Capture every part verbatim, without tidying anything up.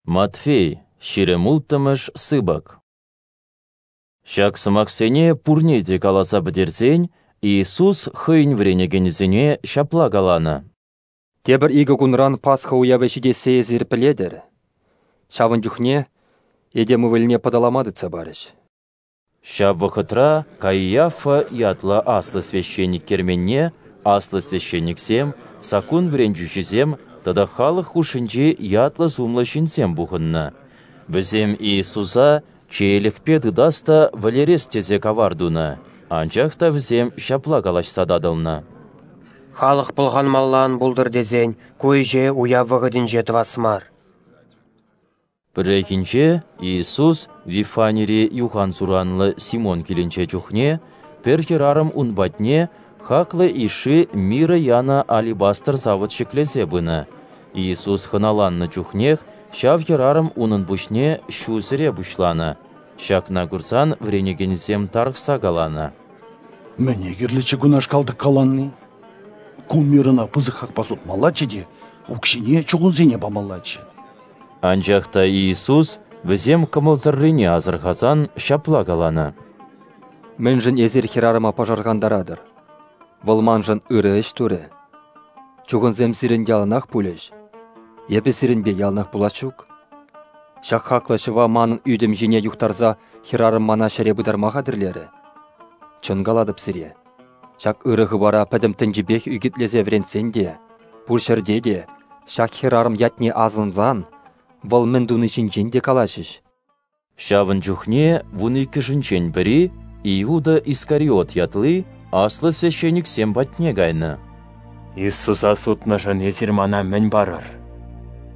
Матфей, ҫирӗм улттӑмӗш сыпӑк. Ҫак сӑмахсене пурне те каласа пӗтерсен, Иисус хӑйӗн вӗренекенӗсене ҫапла каланӑ: Тепӗр икӗ кунран Пасха уявӗ ҫитессе эсир пӗлетӗр. Ҫавӑн чухне Этем Ывӑлне пӑталама тытса парӗҫ. Ҫав вӑхӑтра Каиафа ятлӑ аслӑ священник керменне аслӑ священниксем, саккун вӗрентӳҫисем тата халӑх хушшинчи ятлӑ-сумлӑ ҫынсем пухӑннӑ. Вӗсем Иисуса чеелӗхпе тытас та вӗлерес тесе кавар тунӑ, анчах та вӗсем ҫапла калаҫса татӑлнӑ: Халӑх пӑлханмалла ан пултӑр тесен ку ӗҫе уяв вӑхӑтӗнче тӑвас мар. Пӗррехинче Иисус Вифанири юхан-суранлӑ Симон килӗнче чухне пӗр хӗрарӑм ун патне хаклӑ йышши мирӑ янӑ алебастр савӑт ҫӗклесе пынӑ. Иисус хӑналаннӑ чухнех ҫав хӗрарӑм унӑн пуҫне ҫу сӗре пуҫланӑ. Ҫакна курсан вӗренекенӗсем тарӑхса каланӑ: Мӗне кирлӗччӗ кунашкал тӑккаланни? Ку мирӑна пысӑк хакпа сутмаллаччӗ те укҫине чухӑнсене памаллаччӗ. Анчах та Иисус вӗсем кӑмӑлсӑррине асӑрхасан ҫапла каланӑ: Мӗншӗн эсир хӗрарӑма пӑшӑрхантаратӑр? Вӑл маншӑн ырӑ ӗҫ турӗ. Чухӑнсем сирӗн яланах пулӗҫ. Эпӗ сирӗнпе яланах пулас ҫук. Ҫак хаклӑ ҫӑва манӑн ӳтӗм ҫине юхтарса хӗрарӑм мана ҫӗре пытарма хатӗрлерӗ. Чӑн калатӑп сире, ҫак ырӑ хыпара пӗтӗм тӗнчипех ӳкӗтлесе вӗрентсен те, пур ҫӗрте те ҫак хӗрарӑм ятне асӑнсан вӑл мӗн туни ҫинчен те калаҫӗҫ. Ҫавӑн чухне вун иккӗшӗнчен пӗри, Иуда Искариот ятли, аслӑ священниксем патне кайнӑ. Иисуса сутнӑшӑн эсир мана мӗн парӑр?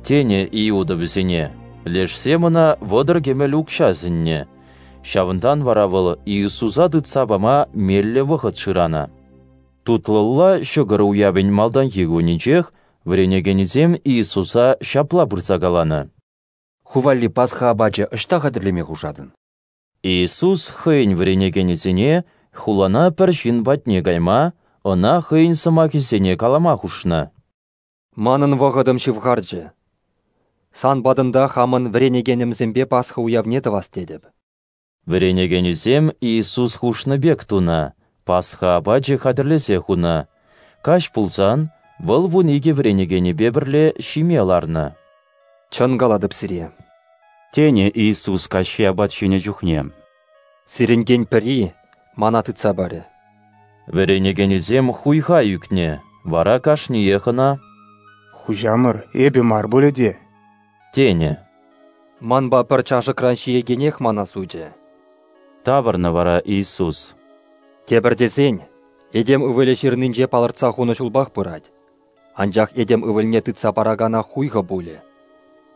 Тенӗ Иуда вӗсене. Лешсем ӑна вӑтӑр кӗмӗл укҫа сӗннӗ. Ҫавӑнтан вара вӑл Иисуса тытса пама меллӗ вӑхӑт шыранӑ. Тутлӑлла ҫӑкӑр уявӗн малтанхи кунӗнчех вӗренекенӗсем Иисуса ҫапла пырса каланӑ: Ху валли Пасха апачӗ ӑҫта хатӗрлеме хушатӑн? Иисус хӑйӗн вӗренекенӗсене хулана пӗр ҫын патне кайма, ӑна хӑйӗн сӑмахӗсене калама хушнӑ. Манӑн вӑхӑтӑм ҫывхарчӗ. Сан патӑнта хамӑн вӗренекенӗмсемпе Пасха уявне тӑвас тетӗп. Вӗренекенӗсем Иисус хушнӑ пек тунӑ, Пасха апачӗ хатӗрлесе хунӑ. Каҫ пулсан вӑл вун икӗ вӗренекенӗпе пӗрле ҫиме ларнӑ. Чӑн калатӑп сире, тенӗ Иисус каҫхи апат ҫинӗ чухне. Сирӗнтен пӗри мана тытса парӗ. Вӗренекенӗсем хуйха ӳкнӗ, вара кашниех ӑна: Хуҫамӑр, эпӗ мар пулӗ те? тенӗ. Манпа пӗр чашӑкран ҫиекенех мана сутӗ. Тавӑрнӑ вара Иисус. Тепӗр тесен, Этем Ывӑлӗ ҫырнинче палӑртса хунӑ ҫулпах пырать. Анчах Этем Ывӑлне тытса паракана хуйхӑ пулӗ.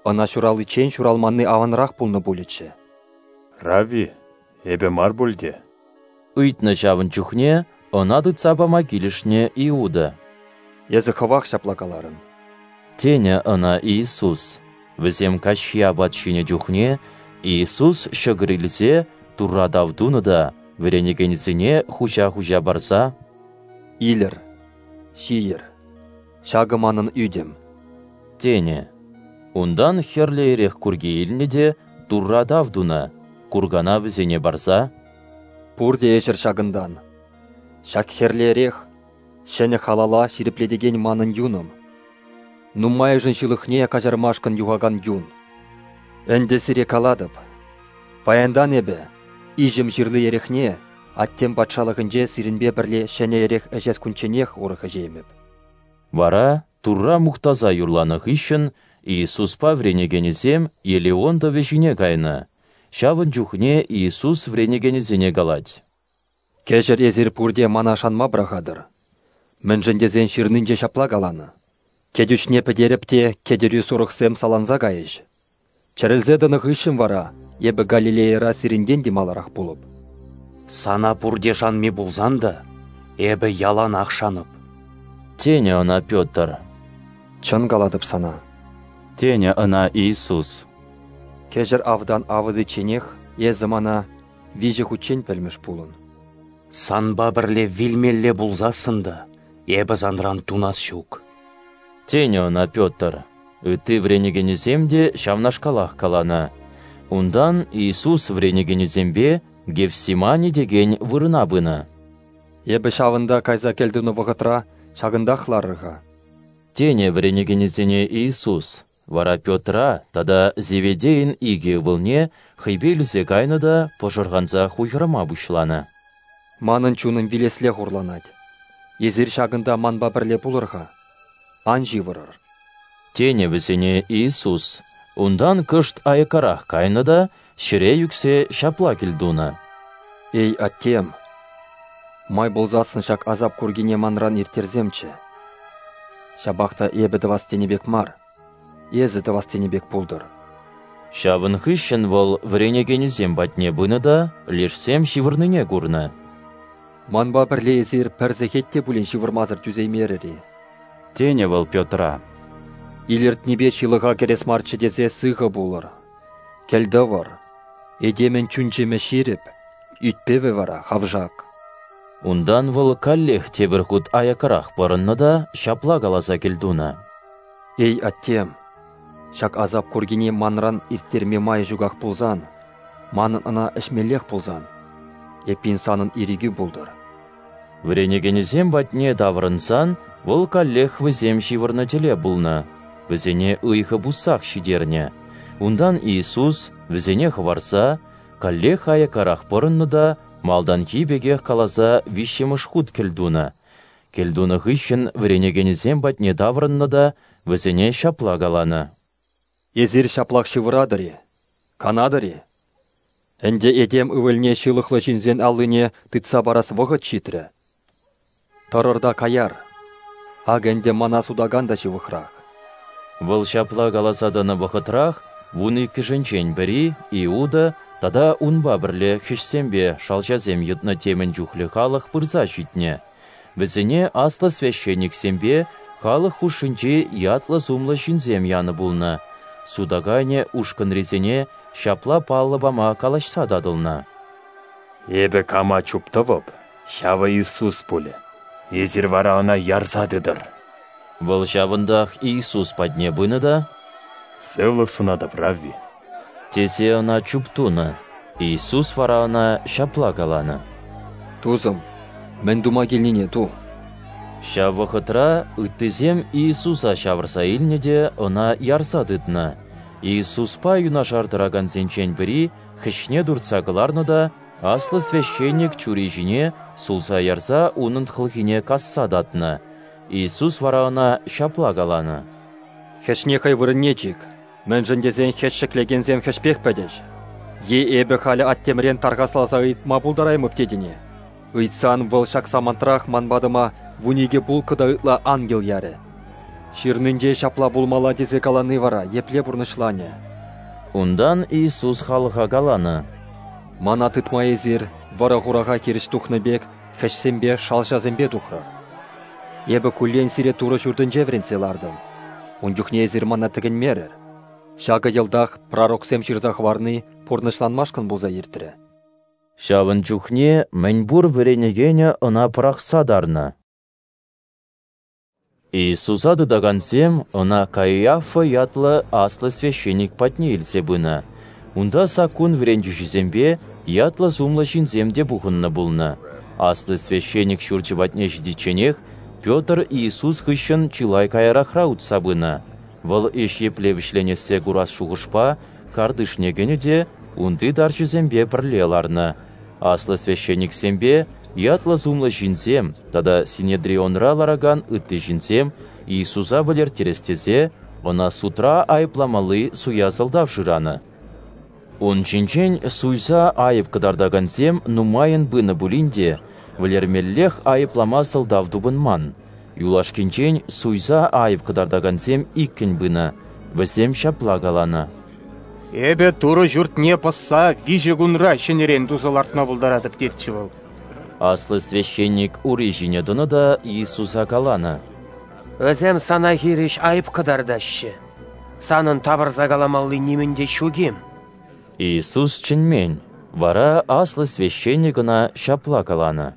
Ӑна ҫураличчен ҫуралманни аванрах пулнӑ пулӗччӗ. Равви, эпӗ мар пуль те? Ыйтнӑ ҫавӑн чухне ӑна тытса пама килӗшнӗ Иуда. Эсӗ хӑвах ҫапла каларӑн. Тенӗ ӑна Иисус. Вӗсем каҫхи апат ҫинӗ чухне Иисус ҫӑкӑр илсе Турра тав тунӑ та вӗренекенӗсене хуҫа-хуҫа парса: Илӗр, ҫийӗр, ҫакӑ манӑн ӳтӗм, тенӗ. Унтан хӗрлӗ эрех курки илнӗ те Турра тав тунӑ, куркана вӗсене парса: Пурте ӗҫӗр ҫакӑнтан. Ҫак хӗрлӗ эрех ҫӗнӗ халала ҫирӗплетекен манӑн юнӑм. Нумайӑшӗн ҫылӑхне каҫармашкӑн юхакан юн. Ӗнтӗ сире калатӑп, паянтан эпӗ иҫӗм ҫырли эрехне Аттем патшалӑхӗнче сирӗнпе пӗрле ҫӗнӗ эрех ӗҫес кунчченех урӑх ӗҫеймӗп. Вара Турра мухтаса юрланӑ хыҫҫӑн Иисуспа вӗренекенӗсем Елеон тӑвӗ ҫине кайнӑ. Ҫавӑн чухне Иисус вӗренекенӗсене калать: Кӗҫӗр эсир пурте мана шанма пӑрахатӑр. Мӗншӗн тесен ҫырнинче ҫапла каланӑ: Кӗтӳҫне пӗтерӗп те кӗтӳри сурӑхсем саланса кайӗҫ. Чӗрӗлсе тӑнӑ хыҫҫӑн вара эпӗ Галилейӑра сирӗнтен те маларах пулӑп. Сана пурте шанми пулсан та, эпӗ яланах шанӑп. Тенӗ ӑна Петр. Чӑн калатӑп сана, тенӗ ӑна Иисус. Кӗҫӗр автан авӑтичченех эсӗ мана виҫӗ хутчен пӗлмӗш пулӑн. Санпа пӗрле вилмелле пулсассӑн та эпӗ санран тунас ҫук. Тенӗ ӑна Петр. Ытти вӗренекенӗсем те ҫавнашкалах каланӑ. Унтан Иисус вӗренекенӗсемпе Гефсимани текен вырӑна пынӑ. Эпӗ ҫавӑнта кайса кӗлтунӑ вӑхӑтра ҫакӑнтах ларӑр-ха, тенӗ вӗренекенӗсене Иисус. Вара Петра тата Зеведейӗн икӗ ывӑлне хӑйпе илсе кайнӑ та пӑшӑрханса хуйхӑрма пуҫланӑ. Манӑн чунӑм вилесле хурланать. Эсир ҫакӑнта манпа пӗрле пулӑр-ха, ан ҫывӑрӑр, тенӗ вӗсене Иисус. Унтан кӑшт аяккарах кайнӑ та ҫӗре ӳксе ҫапла кӗлтунӑ: Эй, Аттем, май пулсассӑн ҫак асап куркине манран ирттерсемччӗ. Ҫапах та эпӗ тӑвас тенӗ пек мар, эсӗ тӑвас тенӗ пек пултӑр. Ҫавӑн хыҫҫӑн вӑл вӗренекенӗсем патне пынӑ та лешсем ҫывӑрнине курнӑ. Манпа пӗрле эсир пӗр сехет те пулин ҫывӑрмасӑр тӳсеймерӗр-и? Тенӗ вӑл Петра. Илӗртнипе ҫылӑха кӗрес марччӗ тесе сыхӑ пулӑр. Кӗлтӑвӑр. Этемӗн чун-чӗмӗ ҫирӗп, ӳт-пӗвӗ вара хавшак. Унтан вӑл каллех тепӗр хут аяккарах пӑрӑннӑ та ҫапла каласа кӗлтунӑ: Эй, Аттем, ҫак асап куркине манран ирттерме май ҫуках пулсан, манӑн ӑна ӗҫмеллех пулсан, эппин санӑн ирӗкӳ пултӑр. Вӗренекенӗсем патне таврӑнсан вӑл каллех вӗсем ҫывӑрнӑ тӗле пулнӑ, вӗсене ыйхӑ пуссах ҫитернӗ. Унтан Иисус вӗсене хӑварса каллех аяккарах пӑрӑннӑ та малтанхи пекех каласа виҫҫӗмӗш хут кӗлтунӑ. Кӗлтунӑ хыҫҫӑн вӗренекенӗсем патне таврӑннӑ та вӗсене ҫапла каланӑ: Эсир ҫаплах ҫывӑратӑр-и, канатӑр-и? Ӗнтӗ этем ывӑлне ҫылӑхлӑ ҫынсен аллине тытса парас вӑхӑт ҫитрӗ. Тӑрӑр та каяр. Акӑ ӗнтӗ мана сутакан та ҫывӑхрах. Вӑл ҫапла каласа тӑнӑ вӑхӑтрах вун иккӗшӗнчен пӗри, Иуда, тата унпа пӗрле хӗҫсемпе шалҫасем йӑтнӑ темӗн чухлӗ халӑх пырса ҫитнӗ. Вӗсене аслӑ священниксемпе халӑх хушшинчи ятлӑ-сумлӑ ҫынсем янӑ пулнӑ. Сутаканӗ ушкӑнрисене ҫапла паллӑ пама калаҫса татӑлнӑ. Эпӗ кама чуптӑвӑп, ҫавӑ Иисус пулӗ. Эсир вара ӑна ярса тытӑр. Вӑл ҫавӑнтах Иисус патне пынӑ та: Сывлӑх сунатӑп, Равви, тесе ӑна чуптунӑ. Иисус вара ӑна ҫапла каланӑ: Тусӑм, мӗн тума килнине ту. Ҫав вӑхӑтра ыттисем Иисуса ҫавӑрса илнӗ те ӑна ярса тытнӑ. Иисуспа юнашар тӑракансенчен пӗри хӗҫне туртса кӑларнӑ та аслӑ священник чури ҫине сулса ярса унӑн хӑлхине касса татнӑ. Иисус вара ӑна ҫапла каланӑ: Хӗҫне хӑй вырӑнне чик, мӗншӗн тесен хӗҫ ҫӗклекенсем хӗҫпех пӗтӗҫ. Е эпӗ халӗ аттемрен тархасласа ыйтма пултараймӑп тетӗне? Ыйтсан вӑл ҫак самантрах ман патӑма вун икӗ пулкӑ та ытла ангел ярӗ. Ҫырнинче ҫапла пулмалла тесе калани вара епле пурнӑҫланӗ? Унтан Иисус халӑха каланӑ: Мана тытма эсир вӑрӑ-хураха хирӗҫ тухнӑ пек хӗҫсемпе, шалҫасемпе тухрӑр. Эпӗ куллен сире Турӑ ҫуртӗнче вӗрентсе лартӑм. Ун чухне эсир мана тӗкӗнмерӗр. Ҫакӑ йӑлтах пророксем ҫырса хӑварни пурнӑҫланмашкӑн пулса иртрӗ. Ҫавӑн чухне мӗнпур вӗренекенӗ ӑна пӑрахса тарнӑ. Иисуса тытакансем ӑна Каиафа ятлӑ аслӑ священник патне илсе пынӑ. Унта саккун вӗрентӳҫисемпе ятлӑ-сумлӑ ҫынсем те пухӑннӑ пулнӑ. Аслӑ священник ҫурчӗ патне ҫитичченех Петр Иисус хыҫҫӑн чылай каярахра утса пынӑ. Вӑл ӗҫ епле вӗҫленессе курас шухӑшпа картишне кӗнӗ те унти тарҫӑсемпе пӗрле ларнӑ. Аслӑ священниксемпе ятлӑ-сумлӑ ҫынсем тата Синедрионра ларакан ытти ҫынсем Иисуса вӗлерттерес тесе ӑна судра айӑпламалли суя сӑлтав шыранӑ. Ун ҫинчен суйса айӑп кӑтартакансем нумайӑн пынӑ пулин те вӗлермеллех айӑплама сӑлтав тупӑнман. Юлашкинчен суйса айӑп кӑтартакансем иккӗн пынӑ. Вӗсем ҫапла каланӑ: Эпӗ Турӑ ҫуртне пӑсса виҫӗ кунра ҫӗнӗрен туса лартма пултаратӑп тетчӗ вӑл. Аслӑ священник ури ҫине тӑнӑ та Иисуса каланӑ: Вӗсем сана хирӗҫ айӑп кӑтартаҫҫӗ. Санӑн тавӑрса каламалли нимӗн те ҫук-им? Иисус чӗнмен. Вара аслӑ священник ӑна ҫапла каланӑ: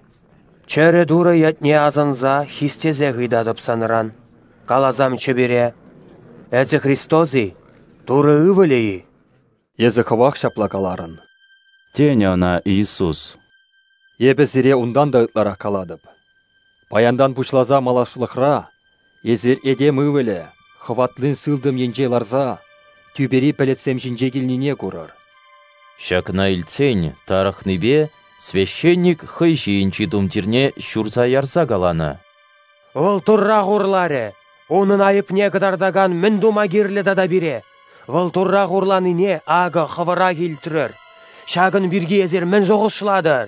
Чӗрӗ Турӑ ятне асӑнса хистесех ыйтатӑп санран. Каласамччӗ пире. Эсӗ Христос-и, Турӑ Ывӑлӗ-и? Эсӗ хӑвах ҫапла каларӑн, тенӗ ӑна Иисус. Эпӗ сире унтан та ытларах калатӑп. Паянтан пуҫласа малашлӑхра эсир Этем Ывӑлӗ хӑватлин сылтӑм енче ларса тӳпери пӗлӗтсем ҫинче килнине курӑр. Ҫакна илтсен, тарӑхнипе священник хӑй ҫийӗнчи тумтирне ҫурса ярса каланӑ: Вӑл Турра хурларӗ! Унӑн айӑпне кӑтартакан мӗн тума кирлӗ тата пире? Вӑл Турра хурланине акӑ хӑвӑрах илтрӗр. Ҫакӑн пирки эсир мӗн шухӑшлатӑр?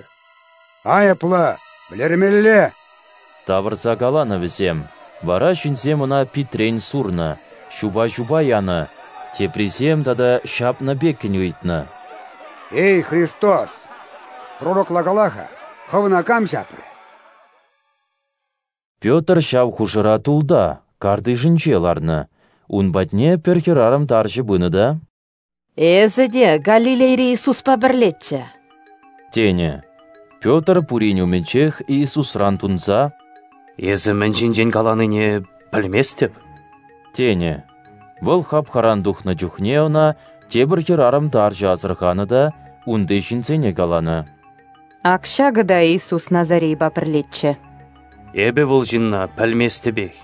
Айӑплӑ! Вӗлермелле! Тавӑрса каланӑ вӗсем. Вара ҫынсем ӑна питрен сурнӑ, ҫупа-ҫупа янӑ, теприсем тата ҫапнӑ пеккӗн ыйтнӑ: Эй, Христос! Пророкла кала-ха, хӑвна кам ҫапрӗ? Петр ҫав хушӑра тулта, картишӗнче ларнӑ. Ун патне пӗр хӗрарӑм тарҫӑ пынӑ та: Эсӗ те Галилейри Иисуспа пӗрлеччӗ, тенӗ. Петр пурин умӗнчех Иисусран тунса: Эсӗ мӗн ҫинчен каланине пӗлместӗп, тенӗ. Вӑл хапхаран тухнӑ чухне ӑна тепӗр хӗрарӑм тарҫӑ асӑрханӑ та унти ҫынсене каланӑ: Ак ҫакӑ та Иисус Назарейпа пӗрлеччӗ. Эпӗ вӑл ҫынна пӗлместӗпех.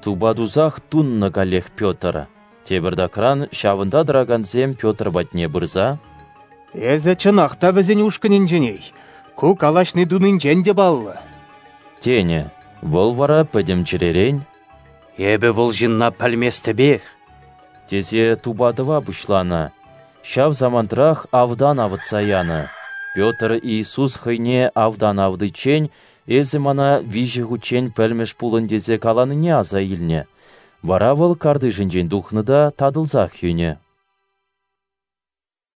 Тупа тусах туннӑ каллех Петр. Тепӗртакран ҫавӑнта тӑракансем Петр патне пырса: Эсӗ чӑнах та вӗсен ушкӑнӗнченех, ку калаҫни тунинчен те паллӑ, тенӗ. Вӑл вара пӗтӗм чӗререн: Эпӗ вӑл ҫынна пӗлместӗпех, тесе тупа тӑва пуҫланӑ. Ҫав самантрах автан авӑтса янӑ. Петр Иисус хӑйне автан авӑтиччен эсӗ мана виҫӗ хутчен пӗлмӗш пулӑн тесе каланине аса илнӗ. Вара вӑл картишӗнчен тухнӑ та татӑлсах йӗнӗ.